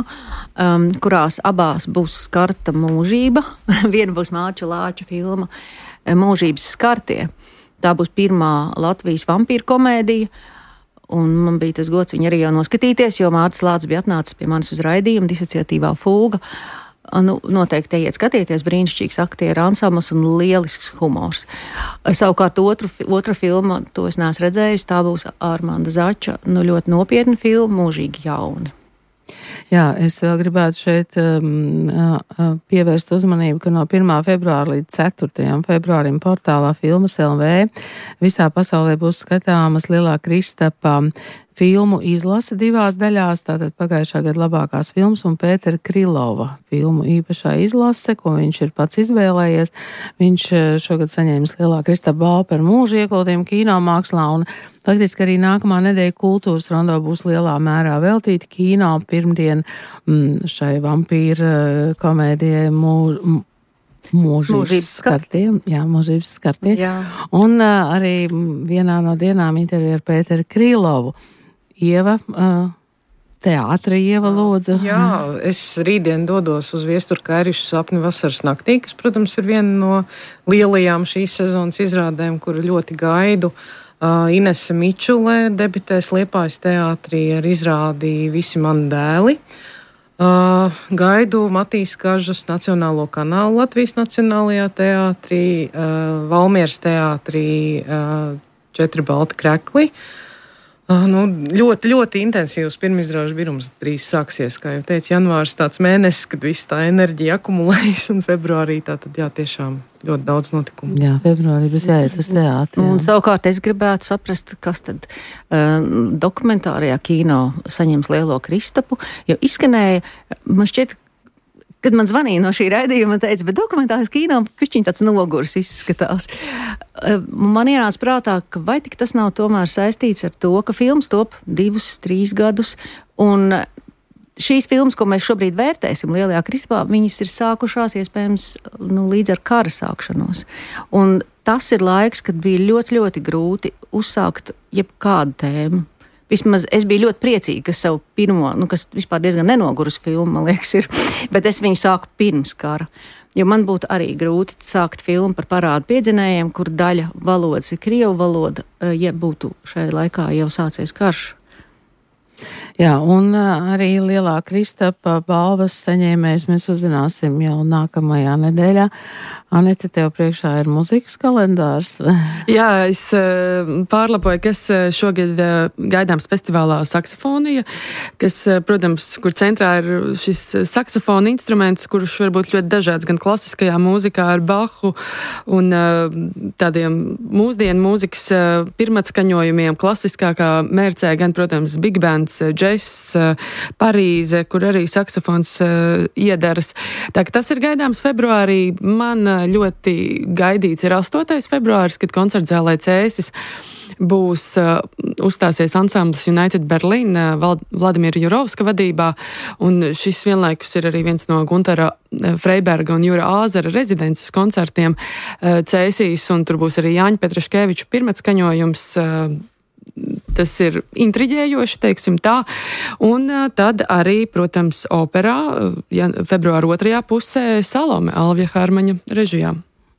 kurās abās būs skarta mūžība. Viena būs Mārča Lāča filma Mūžības skartie. Tā būs pirmā Latvijas vampīru komēdija. Un man bija tas gods viņu arī jau noskatīties, jo Mārcis Lācis bija atnācis pie manis uz raidījumu Disociatīvā fūga. Nu, noteikti iet skatieties, brīnišķīgs aktieru ansambls un lielisks humors. Savukārt otra filma, to es neesmu redzējusi, tā būs Armanda Zača, ļoti nopietna filma, Mūžīgi jauni. Jā, es vēl gribētu šeit pievērst uzmanību, ka no 1. februāra līdz 4. februārim portālā Filmas LV visā pasaulē būs skatāmas Lielā Kristapa filmu izlase 2 daļās, tātad pagājušā gada labākās filmas un Pētera Krilova filmu īpašā izlase, ko viņš ir pats izvēlējies. Viņš šogad saņēmis Lielā Kristapa balvu par mūžu ieguldījumu kino mākslā, un faktiski arī nākamā nedēļa kultūras rondo būs lielā mērā veltīta kino pirmdien šai vampīra komēdijai Mūžības skartiem. Jā, Mūžības skartie. Jā. Un arī vienā no dienām intervija ar Pēteru Krilovu. Ieva, teātra Ieva lūdzu. Jā, es rītdien dodos uz Viesturu Kairišu sapni vasaras naktī, kas, protams, ir viena no lielajām šīs sezonas izrādēm, kuru ļoti gaidu. Inese Mičulē debitēs Liepājas teātrī ar izrādi Visi mani dēli. Gaidu Matīs Kažas Nacionālo kanālu Latvijas Nacionālajā teātrī, Valmieras teātrī 4 balti krekli. Ļoti, ļoti intensīvs pirmizrāžu birums drīz sāksies, kā jau teicu, janvārs tāds mēnesis, kad viss tā enerģija akumulējas, un februārī tātad, jā, tiešām ļoti daudz notikumu. Jā, februārī būs jāiet uz teātri. Un savukārt es gribētu saprast, kas tad dokumentārajā kino saņems Lielo Kristapu, jo izskanēja, man šķiet, kad man zvanīja no šī raidījuma, teica, bet dokumentālais kino pišķiņ tāds nogurs izskatās. Man ienāca prātā, ka vai tik tas nav tomēr saistīts ar to, ka filmas top 2-3 gadus, un šīs filmas, ko mēs šobrīd vērtēsim Lielajā Kristapā, viņas ir sākušās iespējams līdz ar kara sākšanos. Un tas ir laiks, kad bija ļoti, ļoti grūti uzsākt jebkādu tēmu. Vismaz es biju ļoti priecīga, ka savu pirmo, kas vispār diezgan nenogurus filmu, man liekas, ir, bet es viņu sāku pirms kara. Jo man būtu arī grūti sākt filmu par parādu piedzinējiem, kur daļa valodas ir krievu valoda, ja būtu šajā laikā jau sācies karš. Jā, un arī Lielā Kristapa balvas saņēmējs mēs uzzināsim jau nākamajā nedēļā. Anete, tev priekšā ir muzikas kalendārs. Jā, es pārlapoju, kas šogad gaidāms festivālā saksofonija, kas, protams, kur centrā ir šis saksofona instruments, kurš var būt ļoti dažāds gan klasiskajā mūzikā ar Bahu un tādiem mūsdienu mūzikas pirmatskaņojumiem, klasiskākā mērcē, gan, protams, big bands, džess, Parīze, kur arī saksofons iedaras. Tā ka tas ir gaidāms februārī. Man ļoti gaidīts ir 8. februāris, kad koncertzālē Cēsis būs uzstāsies ansamblis United Berlin Vladimira Jurovska vadībā, un šis vienlaikus ir arī viens no Guntara Freiberga un Jura Āzera rezidences koncertiem Cēsīs, un tur būs arī Jāņa Petraškeviča pirmatskaņojums. Tas ir intriģējoši, teiksim tā, un tad arī, protams, operā februāra 2. pusē Salome Alvija Hārmaņa režijā.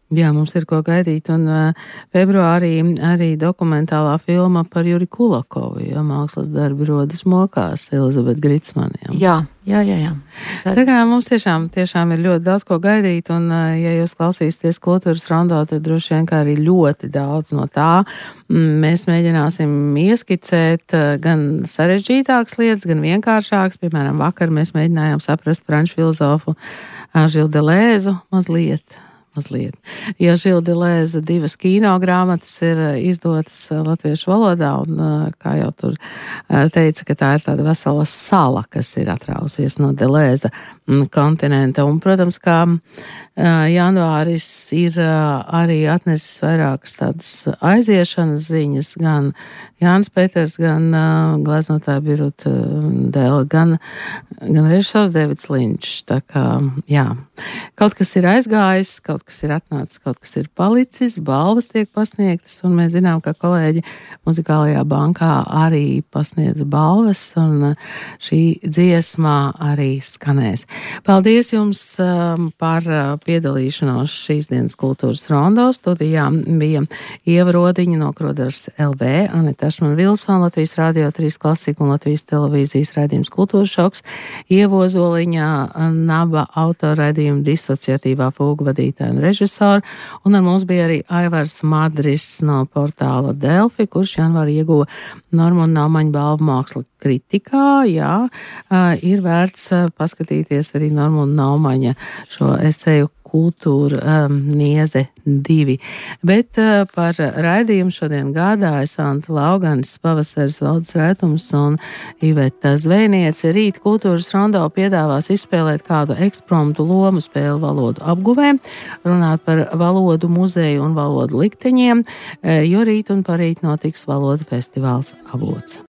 Jā, mums ir ko gaidīt, un februārī arī dokumentālā filma par Juri Kulakovu, jo mākslas darbi rodas mokās Elizabete Gritsmane. Jā. Tā kā mums tiešām ir ļoti daudz ko gaidīt, un ja jūs klausīsieties kultūras rondo, tad droši vien kā arī ļoti daudz no tā. Mēs mēģināsim ieskicēt gan sarežģītākas lietas, gan vienkāršākas. Piemēram, vakar mēs mēģinājām saprast franču filozofu Žildu Delēzu mazliet. Jo Žilda Delēza 2 kino grāmatas ir izdotas latviešu valodā, un kā jau tur teica, ka tā ir tāda vesela sala, kas ir atrausies no Delēza kontinenta. Un, protams, kā janvāris ir arī atnesis vairākas tādas aiziešanas ziņas, gan Jānis Peters, gan gleznotāja Biruta Dēla, gan režisors Deivids Linčs. Tā kā, jā, kaut kas ir aizgājis, kaut kaut kas ir atnācis, kaut kas ir palicis, balvas tiek pasniegtas, un mēs zinām, ka kolēģi Muzikālajā bankā arī pasniedz balvas, un šī dziesmā arī skanēs. Paldies jums par piedalīšanos šīs dienas kultūras rondo. Studijā bija Ieva Rodiņa no Krodars LV, Aneta Ašman-Vilsona, Latvijas Rādio 3 Klasika un Latvijas televīzijas raidījums Kultūras šoks, Ieva Ozoliņa, Naba autorraidījuma disociatīvā fūga vadītāja un režisora, un ar mums bija arī Aivars Madris no portāla Delfi, kurš janvārī ieguva Normunda Naumaņa balvu māksla kritikā. Jā, ir vērts paskatīties arī Normunda Naumaņa šo eseju Kultūra nieze 2. Bet par raidījumu šodien gādāja Santa Lauganis, Pavasaris Valdes Rētums un Iveta Zvejniece. Rīt kultūras rondo piedāvās izspēlēt kādu ekspromtu lomu spēli valodu apguvēm, runāt par valodu muzeju un valodu likteņiem, jo rīt un parīt notiks valodu festivāls Avots.